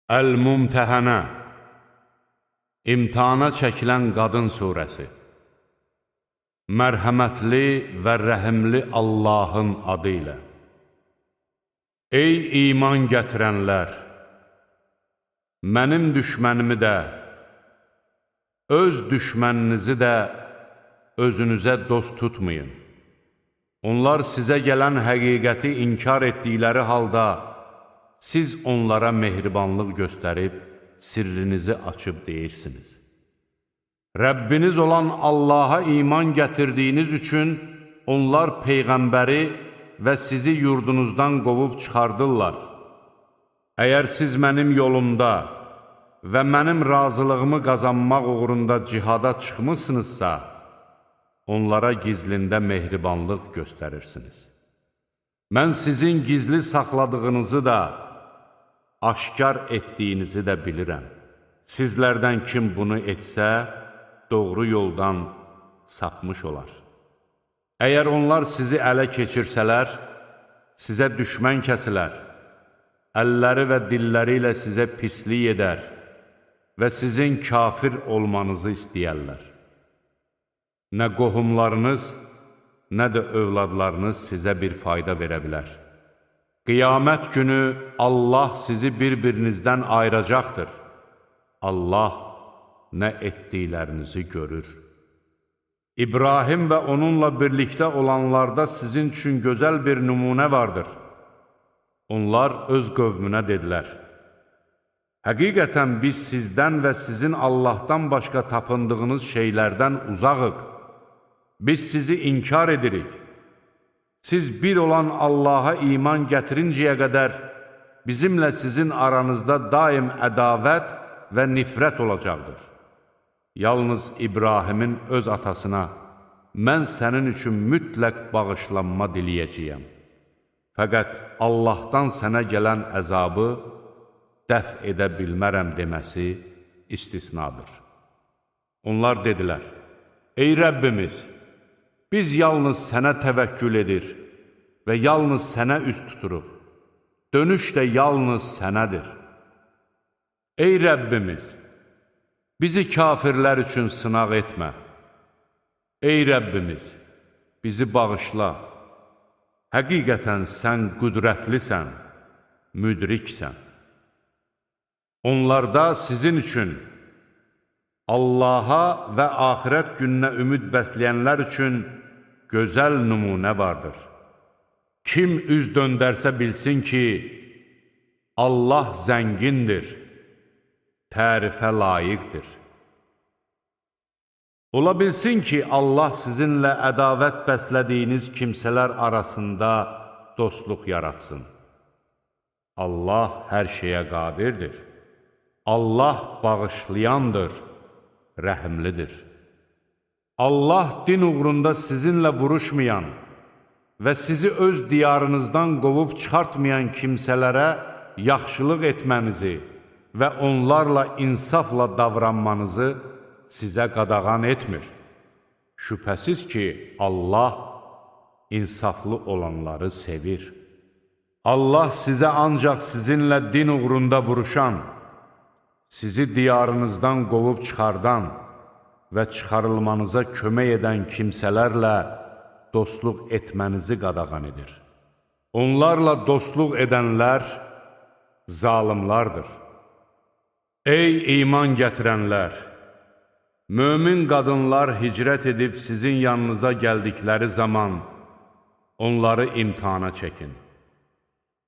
Əl-Mümtəhənə, İmtihana çəkilən qadın surəsi. Mərhəmətli və rəhimli Allahın adı ilə. Ey iman gətirənlər! Mənim düşmənimi də, öz düşməninizi də özünüzə dost tutmayın. Onlar sizə gələn həqiqəti inkar etdikləri halda, siz onlara mehribanlıq göstərib, sirrinizi açıb deyirsiniz. Rəbbiniz olan Allaha iman gətirdiyiniz üçün onlar Peyğəmbəri və sizi yurdunuzdan qovub çıxardırlar. Əgər siz mənim yolumda və mənim razılığımı qazanmaq uğrunda cihada çıxmışsınızsa, onlara gizlində mehribanlıq göstərirsiniz. Mən sizin gizli saxladığınızı da, aşkar etdiyinizi də bilirəm. Sizlərdən kim bunu etsə, doğru yoldan sapmış olar. Əgər onlar sizi ələ keçirsələr, sizə düşmən kəsilər, əlləri və dilləri ilə sizə pislik edər və sizin kafir olmanızı istəyərlər. Nə qohumlarınız, nə də övladlarınız sizə bir fayda verə bilər. Qiyamət günü Allah sizi bir-birinizdən ayıracaqdır. Allah nə etdiklərinizi görür. İbrahim və onunla birlikdə olanlarda sizin üçün gözəl bir nümunə vardır. Onlar öz qövmünə dedilər: Həqiqətən biz sizdən və sizin Allahdan başqa tapındığınız şeylərdən uzağıq. Biz sizi inkar edirik. Siz bir olan Allaha iman gətirincəyə qədər bizimlə sizin aranızda daim ədavət və nifrət olacaqdır. Yalnız İbrahimin öz atasına, mən sənin üçün mütləq bağışlanma diləyəcəyəm. Fəqət Allahdan sənə gələn əzabı dəf edə bilmərəm deməsi istisnadır. Onlar dedilər: Ey Rəbbimiz! Biz yalnız sənə təvəkkül edir və yalnız sənə üst tuturuq. Dönüş də yalnız sənədir. Ey Rəbbimiz! Bizi kafirlər üçün sınaq etmə. Ey Rəbbimiz! Bizi bağışla. Həqiqətən sən qüdrətlisən, müdriksən. Onlarda sizin üçün, Allaha və axirət gününə ümid bəsləyənlər üçün gözəl nümunə vardır. Kim üz döndərsə bilsin ki, Allah zəngindir, tərifə layiqdir. Ola bilsin ki, Allah sizinlə ədavət bəslədiyiniz kimsələr arasında dostluq yaratsın. Allah hər şeyə qadirdir. Allah bağışlayandır, rəhimlidir. Allah din uğrunda sizinlə vuruşmayan və sizi öz diyarınızdan qovub çıxartmayan kimsələrə yaxşılıq etmənizi və onlarla insafla davranmanızı sizə qadağan etmir. Şübhəsiz ki, Allah insaflı olanları sevir. Allah sizə ancaq sizinlə din uğrunda vuruşan, sizi diyarınızdan qovub çıxardan və çıxarılmanıza kömək edən kimsələrlə dostluq etmənizi qadağan edir. Onlarla dostluq edənlər zalimlardır. Ey iman gətirənlər! Mömin qadınlar hicrət edib sizin yanınıza gəldikləri zaman onları imtihana çəkin.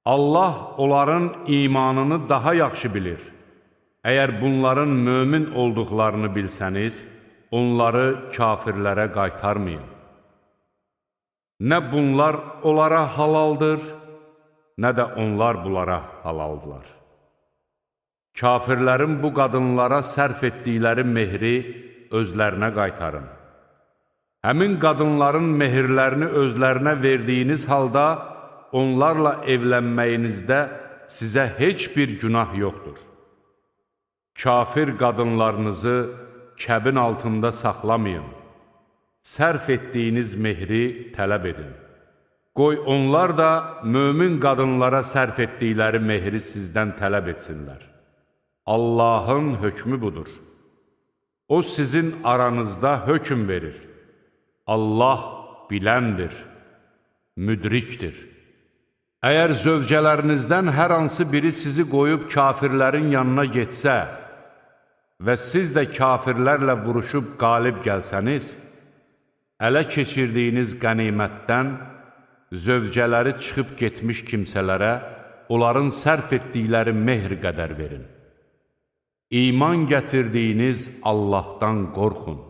Allah onların imanını daha yaxşı bilir. Əgər bunların mömin olduqlarını bilsəniz, onları kafirlərə qaytarmayın. Nə bunlar onlara halaldır, nə də onlar bunlara halaldılar. Kafirlərin bu qadınlara sərf etdikləri mehri özlərinə qaytarın. Həmin qadınların mehirlərini özlərinə verdiyiniz halda, onlarla evlənməyinizdə sizə heç bir günah yoxdur. Kafir qadınlarınızı kəbin altında saxlamayın. Sərf etdiyiniz mehri tələb edin. Qoy onlar da mömin qadınlara sərf etdikləri mehri sizdən tələb etsinlər. Allahın hökmü budur. O sizin aranızda hökm verir. Allah biləndir, müdrikdir. Əgər zövcələrinizdən hər hansı biri sizi qoyub kafirlərin yanına getsə və siz də kafirlərlə vuruşub qalib gəlsəniz, ələ keçirdiyiniz qənimətdən zövcələri çıxıb getmiş kimsələrə onların sərf etdikləri mehr qədər verin. İman gətirdiyiniz Allahdan qorxun.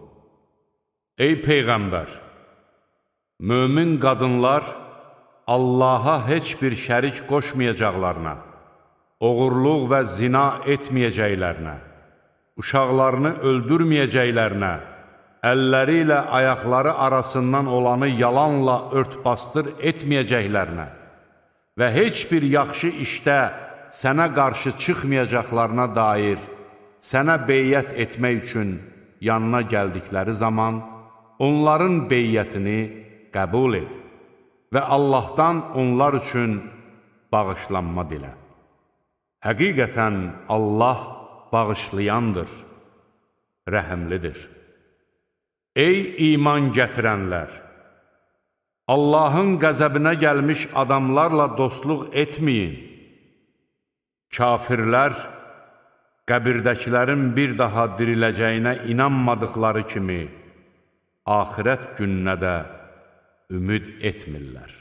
Ey Peyğəmbər! Mömin qadınlar Allaha heç bir şərik qoşmayacaqlarına, oğurluq və zina etməyəcəklərinə, uşaqlarını öldürməyəcəklərinə, əlləri ilə ayaqları arasından olanı yalanla örtbasdır etməyəcəklərinə və heç bir yaxşı işdə sənə qarşı çıxmayacaqlarına dair sənə beyyət etmək üçün yanına gəldikləri zaman onların beyyətini qəbul et və Allahdan onlar üçün bağışlanma dilə. Həqiqətən Allah bağışlayandır, rəhimlidir. Ey iman gətirənlər! Allahın qəzəbinə gəlmiş adamlarla dostluq etməyin. Kafirlər, qəbirdəkilərin bir daha diriləcəyinə inanmadıqları kimi, axirət gününə də ümid etmirlər.